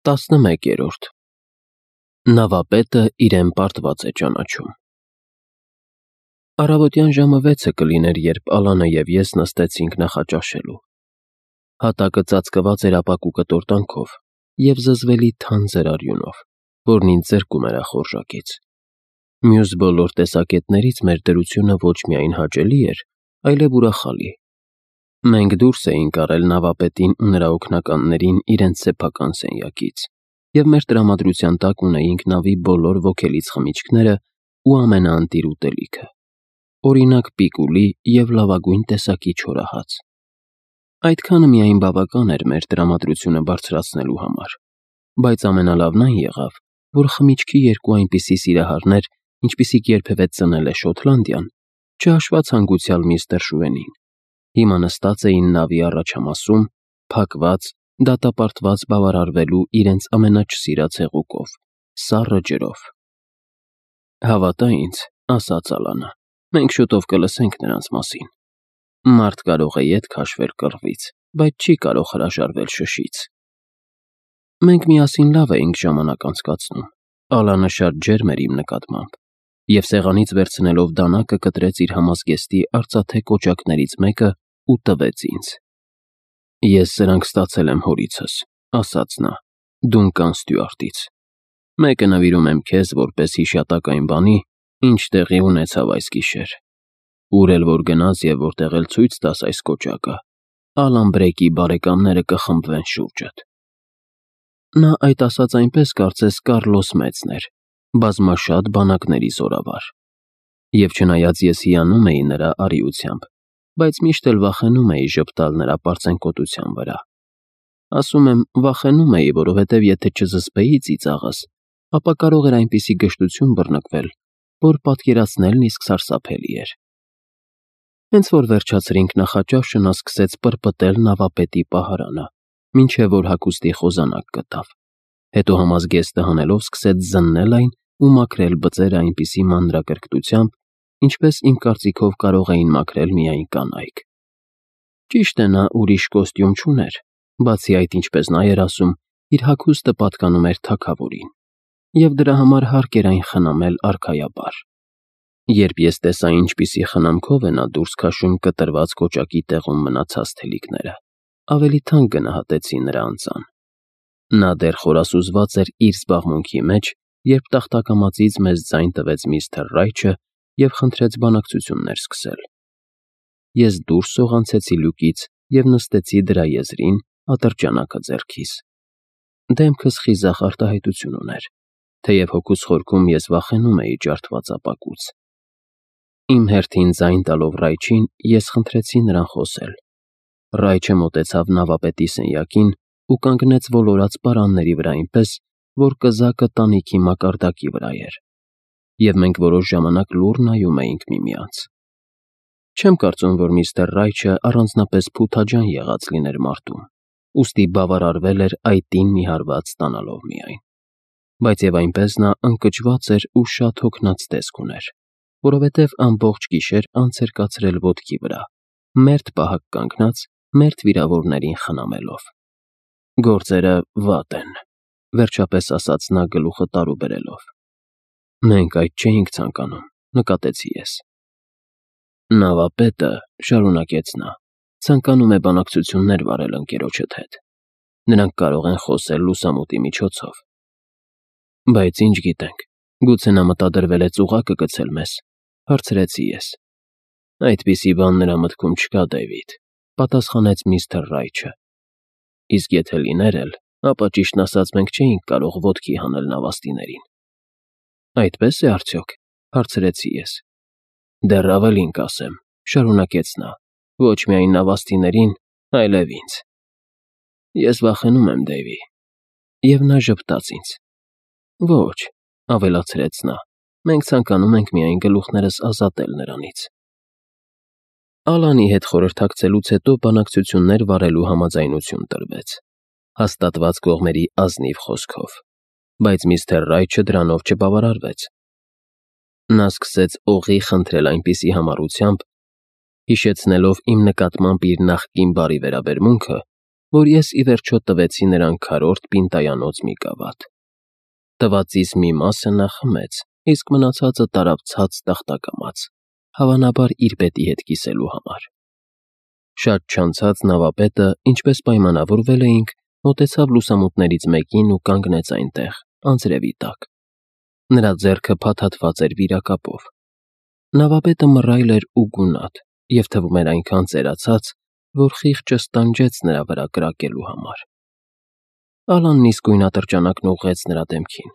11. Նավապետը իրեն պարտված է ճանաչում։ Առավոտյան ժամը 6 կլիներ, երբ Ալանը և ես նստեցինք նախաճաշելու։ Հատակը ծածկված էր ապակու կտորտանքով և զզվելի թանձր արյունով, որն ինձ զրկում էր ախորժակից։ Մյուս բոլոր տեսակետներից մեր դրությունը ոչ միայն հաճելի էր, այլև ուրախալի։ Մենք դուրս էինք առել նավապետին ու նրա օգնականներին իրենց սեփական սենյակից, և մեր տրամադրության տակ ունեինք նավի բոլոր ոգելից խմիչքները ու ամենաընտիր ուտելիքը, օրինակ պիկուլի և լավագույն տեսակի չորահաց։ Այդքանը միայն բավական էր մեր տրամադրությունը բարձրացնելու համար, բայց ամենալավն այն եղավ, որ խմիչքի երկու այնպիսի սիրահարներ, ինչպիսիք երբևէ ծնել է Շոտլանդիան, չհաշված հանգուցյալ միստր Շուենին, հիմա նստած էին նավի առաջամասում, փակված, դատապարտված բավարարվելու իրենց ամենաչսիրած հեղուկով՝ սառը ջրով։ «Հավատա ինձ», ասաց Ալանը, «մենք շուտով կլսենք նրանց մասին։ Մարդ կարող է ետ քաշվել կռվից, բայց չի կարող հրաժարվել շշից»։ Մենք միասին լավ էինք ժամանակ անցկացնում։ Ալանը շատ ջերմ էր իմ նկատմամբ, և սեղանից վերցնելով դանակը կտրեց իր համազգեստի արծաթե կոճակներից մեկը ու տվեց ինձ։ «Ես սրանք ստացել եմ հորիցս», ասաց նա, «Դունկան Ստյուարտից։ Մեկը նվիրում եմ քեզ որպես հիշատակ այն բանի, ինչ տեղի ունեցավ այս գիշեր։ Ուր էլ որ գնաս և որտեղ էլ ցույց տաս այս կոճակը, Ալան Բրեյքի բարեկամները կխմբվեն շուրջդ»։ Նա այդ ասաց այնպես, կարծես Կառլոս Մեծն էր, բազմաշատ բանակների զորավար։ Եվ չնայած ես հիանում էի նրա արիությամբ, բայց միշտ էլ վախենում էի ժպտալ նրա պարծենկոտության վրա։ Ասում եմ, վախենում էի, որովհետև եթե չզսպեի ծիծաղս, ապա կարող էր այնպիսի գժտություն բռնկվել, որ պատկերացնելն իսկ սարսափելի էր։ Հենց որ վերջացրինք նախաճաշը, նա սկսեց պրպտել նավապետի պահարանը, մինչև որ հագուստի խոզանակ գտավ։ Հետո համազգեստը հանելով սկսեց զննել այն ու մաքրել բծերը այնպիսի մանրակրկտությամբ, ինչպես իմ կարծիքով կարող էին մաքրել միայն կանայք։ Ճիշտ է, նա ուրիշ կոստյում չուներ, բացի այդ, ինչպես նա էր ասում, իր հագուստը պատկանում էր թագավորին, և դրա համար հարկ էր այն խնամել արքայաբար։ Երբ ես տեսա ինչպիսի խնամքով է նա դուրս քաշում կտրված կոճակի տեղում մնացած թելիկները, ավելի թանկ գնահատեցի նրա անձան։ Նա դեռ խորասուզված էր իր զբաղմունքի մեջ, երբ տախտակամածից մեզ ձայն տվեց միստր Ռայչը և խնդրեց բանակցություններ սկսել։ Ես դուրս սողանցեցի լյուկից և նստեցի դրա եզրին, ատրճանակը ձեռքիս։ Դեմքս խիզախ արտահայտություն ուներ, թեև հոգուս խորքում ես վախենում էի ջարդված ապակուց։ Իմ հերթին ձայն տալով Ռայչին, ես խնդրեցի նրան խոսել։ Ռայչը մոտեցավ նավապետի սենյակին ու կանգնեց ոլորած պարանների վրա այնպես, որ կզակը տանիքի մակարդակի վրա էր, և մենք որոշ ժամանակ լուռ նայում էինք միմյանց։ Չեմ կարծում, որ միստր Ռայչը առանձնապես փութաջան եղած լիներ մարտում, ուստի բավարարվել էր այտին մի հարված ստանալով միայն։ Բայց և այնպես նա ընկճված էր ու շատ հոգնած տեսք ուներ, որովհետև ամբողջ գիշեր անց էր կացրել ոտքի վրա, մերթ պահակ կանգնած, մերթ վիրավորներին խնամելով։ «Գործերը վատ են», վերջապես ասաց նա գլուխը տարուբերելով։ «Մենք այդ չէինք ցանկանում», նկատեցի ես։ «Նավապետը», շարունակեց նա, «ցանկանում է բանակցություններ վարել ընկերոջդ հետ։ Նրանք կարող են խոսել լուսամուտի միջոցով»։ «Բայց ինչ գիտենք, գուցե նա մտադրվել է ծուղակը գցել մեզ», հարցրեցի ես։ «Այդպիսի բան նրա մտքում չկա, Դեյվիդ», պատասխանեց միստր Ռայչը։ «Իսկ եթե լիներ էլ, ապա ճիշտն ասած մենք չէինք կարող ոտքի հանել նավաստիներին»։ «Այդպե՞ս է արդյոք», հարցրեցի ես։ «Դեռ ավելին կասեմ», շարունակեց նա, «ոչ միայն նավաստիներին, այլև ինձ։ Ես վախենում եմ, Դեյվի»։ Եվ նա ժպտաց ինձ։ «Ոչ», ավելացրեց նա, «մենք ցանկանում ենք միայն գլուխներս ազատել նրանից»։ Ալանի հետ խորհրդակցելուց հետո բանակցություններ վարելու համաձայնություն տրվեց, հաստատված կողմերի ազնիվ խոսքով, բայց միստր Ռայչը դրանով չբավարարվեց։ Նա սկսեց օղի խնդրել այնպիսի համառությամբ, հիշեցնելով իմ նկատմամբ իր նախկին բարի վերաբերմունքը, որ ես ի վերջո տվեցի նրան քառորդ պինտայանոց մի գավաթ։ Տվածիս մի մասը նա խմեց, իսկ մնացածը տարավ ցած տախտակամած, հավանաբար իր պետի հետ կիսելու համար։ Շատ չանցած նավապետը, ինչպես պայմանավորվել էինք, մոտեցավ լուսամուտներից մեկին ու կանգնեց այնտեղ, անձրևի տակ։ Նրա ձեռքը փաթաթված էր վիրակապով։ Նավապետը մռայլ էր ու գունատ, և թվում էր այնքան ծերացած, որ խիղճը ստանջեց նրա վրա կրակելու համար։ Ալանն իսկույն ատրճանակն ուղղեց նրա դեմքին։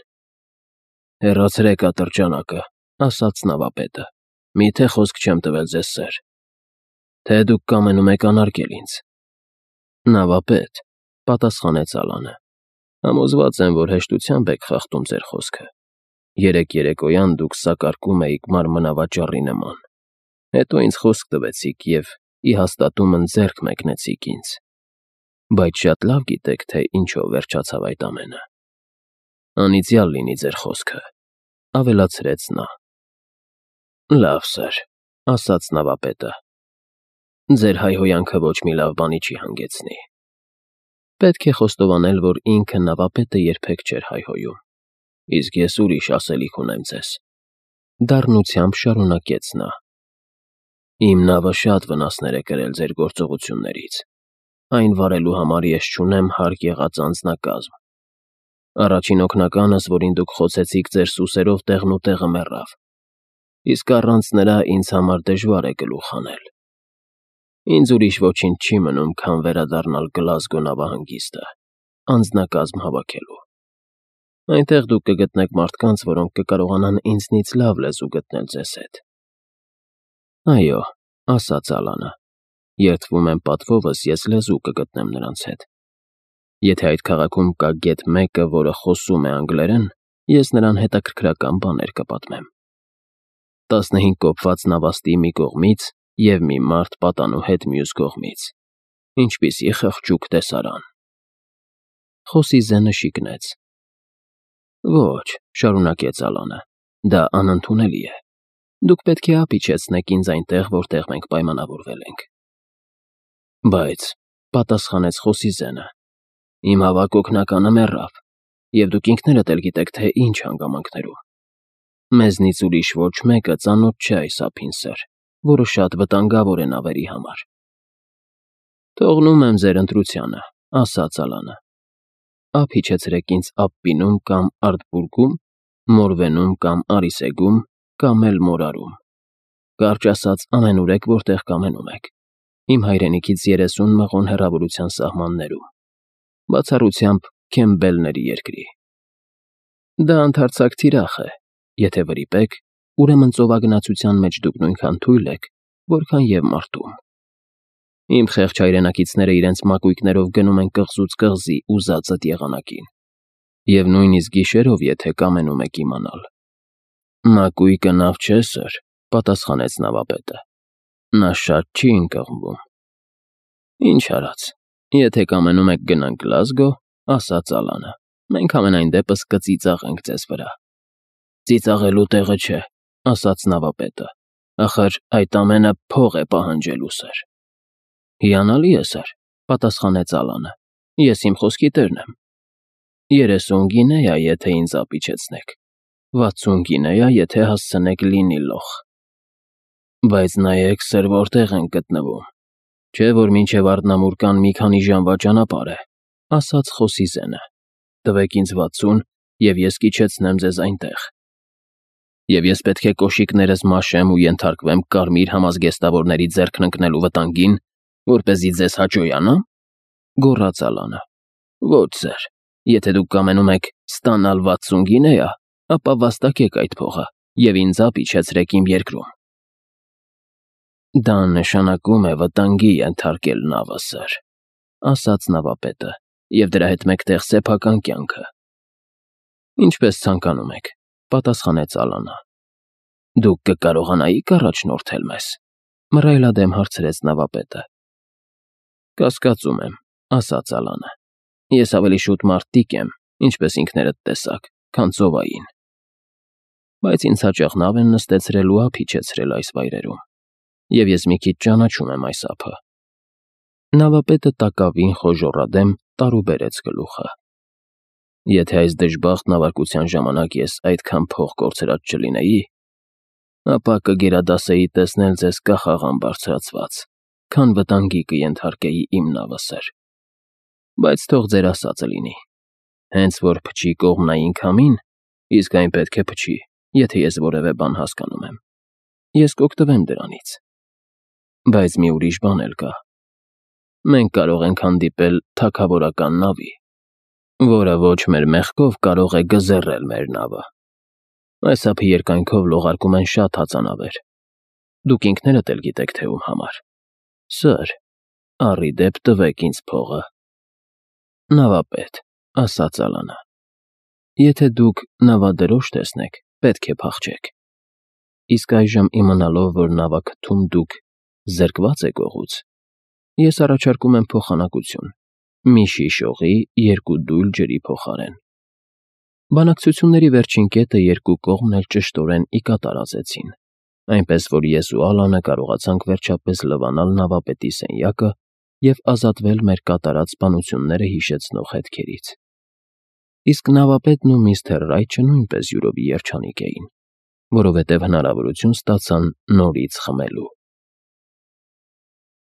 «Հեռացրեք ատրճանակը», ասաց նավապետը, «միթե խոսք չեմ տվել ձեզ, սեր, թե դուք կամենում եք անարգել ինձ»։ «Նավապետ», պատասխանեց Ալանը, «համոզված եմ, որ հեշտությամբ եք խախտում ձեր խոսքը։ Երեկ երեկոյան դուք սակարկում էիք մանրավաճառի նման, հետո ինձ խոսք տվեցիք և ի հաստատումն ձեռք մեկնեցիք ինձ, բայց շատ լավ գիտեք, թե ինչով վերջացավ այդ ամենը։ Անիծյալ լինի ձեր խոսքը», ավելացրեց նա։ «Լավ, սեր», ասաց նավապետը, «ձեր հայհոյանքը ոչ մի լավ բանի չի հանգեցնի»։ Պետք է խոստովանել, որ ինքը նավապետը երբեք չէր հայհոյում։ «Իսկ ես ուրիշ ասելիք ունեմ ձեզ», դառնությամբ շարունակեց նա։ «Իմ նավը շատ վնասներ է կրել ձեր գործողություններից։ Այն վարելու համար ես չունեմ հարկ եղած անձնակազմ։ Առաջին օգնականս, որին դուք խոցեցիք ձեր սուսերով, տեղնուտեղը մեռավ, իսկ առանց նրա ինձ համար դժվար է գլուխ հանել։ Ինձ ուրիշ ոչինչ չի մնում, քան վերադառնալ Գլազգո նավահանգիստը, անձնակազմ հավաքելու։ Այնտեղ դուք կգտնեք մարդկանց, որոնք կկարողանան ինձնից լավ լեզու գտնել ձեզ հետ»։ «Այո», ասաց Ալանը, «երդվում եմ պատվովս ես լեզու կգտնեմ նրանց հետ։ Եթե այդ քաղաքում կա գեթ մեկը, որը խոսում է անգլերեն, ես նրան հետաքրքրական բաներ կպատմեմ։ 15 կոփված նավաստի մի կողմից և մի մարդ պատանու հետ մյուս կողմից։ Ինչպիսի խղճուկ տեսարան»։ Խոսիզենը շիկնեց։ «Ոչ», շարունակեց Ալանը, «դա անընդունելի է։ Դուք պետք է ափ իջեցնեք ինձ այնտեղ, որտեղ մենք պայմանավորվել ենք»։ «Բայց», պատասխանեց Խոսիզենը, «իմ հավակ օգնականը մեռավ, և դուք ինքներդ էլ գիտեք, թե ինչ հանգամանքներում։ Մեզնից ուրիշ ոչ մեկը ծանոթ չէ այս ափին, սեր, որը շատ վտանգավոր է նավերի համար»։ «Թողնում եմ ձեր ընտրությանը», ասաց Ալանը։ «Ափ իջեցրեք ինձ Ափպինում կամ Արտբուրգում, Մորվենում կամ Արիսեգում, կամ էլ Մորարում։ Կարճ ասած, ամենուր եք, որտեղ կամենում եք։ Իմ հայրենիքից 30 մղոն հեռավորության սահմաններում, բացառությամբ Քեմբելների երկրի։ Դա ընդարձակ թիրախ է։ Եթե վրիպեք, ուրեմն ծովագնացության մեջ դուք նույնքան թույլ եք, որքան և մարտում։ Իմ խեղճ հայրենակիցները իրենց մակույկներով գնում են կղզուց կղզի ուզածդ եղանակին, և նույնիսկ գիշերով, եթե կամենում եք իմանալ»։ «Մակույկը նավ չէ, սեր», պատասխանեց նավապետը, «նա շատ չի ընկղմվում»։ «Ինչ արած, եթե կամենում եք գնանք Գլազգո», ասաց Ալանը, «մենք համենայն դեպս կծիծաղենք ձեզ վրա»։ «Ծիծաղելու տեղը չէ», ասաց նավապետը, «ախր այդ ամենը փող է պահանջելու, սեր»։ «Հիանալի է, սեր», պատասխանեց Ալանը, «ես իմ խոսքի տերն եմ։ 30 գինեա, եթե ինձ ափ իջեցնեք, 60 գինեա, եթե հասցնեք Լինի-Լոխ։ Բայց նայեք, սեր, որտեղ ենք գտնվում, չէ՞ որ մինչև Արդնամուր կան մի քանի ժամվա ճանապարհ է», ասաց Խոսիզենը։ «Տվեք ինձ 60, և ես կիջեցնեմ ձեզ այնտեղ»։ «Եվ ես պետք է կոշիկներս մաշեմ ու ենթարկվեմ կարմիր համազգեստավորների ձեռքն ընկնելու վտանգին, որպեսզի ձեզ հաճոյանա՞մ», գոռաց Ալանը։ «Ոչ, սեր, եթե դուք կամենում եք ստանալ 60 գինեա, ապա վաստակեք այդ փողը և ինձ ափ իջեցրեք իմ երկրում»։ «Դա նշանակում է վտանգի ենթարկել նավը, սեր», ասաց նավապետը, «և դրա հետ մեկտեղ սեփական կյանքը»։ «Ինչպես ցանկանում եք», պատասխանեց Ալանը։ «Դուք կկարողանայիք առաջնորդել մեզ», մռայլադեմ հարցրեց նավապետը։ «Կասկածում եմ», ասաց Ալանը։ «Ես ավելի շուտ մարտիկ եմ, ինչպես ինքներդ տեսաք, քան ծովային։ Բայց ինձ հաճախ նավ են նստեցրել ու ափ իջեցրել այս վայրերում, և ես մի քիչ ճանաչում եմ այս ափը»։ Նավապետը տակավին խոժոռադեմ տարուբերեց գլուխը։ Եթե այս դժբախտ նավարկության ժամանակ ես այդքան փող կորցրած չլինեի, ապա կգերադասեի տեսնել ձեզ կախաղան բարձրացված, քան վտանգի կենթարկեի իմ նավը, սըր։ Բայց թող ձեր ասածը լինի։ Հենց որ փչի կողմնային քամին, իսկ այն պետք է փչի, եթե ես որևէ բան հասկանում եմ, ես կօգտվեմ դրանից։ Բայց մի ուրիշ բան էլ կա։ Մենք կարող ենք հանդիպել թագավորական նավի, որը ոչ մեր մեղքով կարող է գզեռել մեր նավը։ Այս ափի երկայնքով լողարկում են շատ հածանավեր։ Դուք ինքներդ էլ գիտեք, թե ում համար։ Սըր, առի դեպ տվեք ինձ փողը։ Նավապետ, ասաց Ալանը, եթե դուք նավադրոշ տեսնեք, պետք է փախչեք։ Իսկ այժմ իմանալով, որ նավակթում դուք զրկված եք օղուց, ես առաջարկում եմ փոխանակություն՝ մի շիշ օղի 2 դույլ ջրի փոխարեն։ Բանակցությունների վերջին կետը երկու կողմն էլ ճշտորեն ի կատար ազեցին, այնպես որ ես ու Ալանը կարողացանք վերջապես լվանալ նավապետի սենյակը և ազատվել մեր կատարած սպանությունները հիշեցնող հետքերից։ Իսկ նավապետն ու միստր Ռայչը նույնպես յուրովի երջանիկ էին, որովհետև հնարավորություն ստացան նորից խմելու։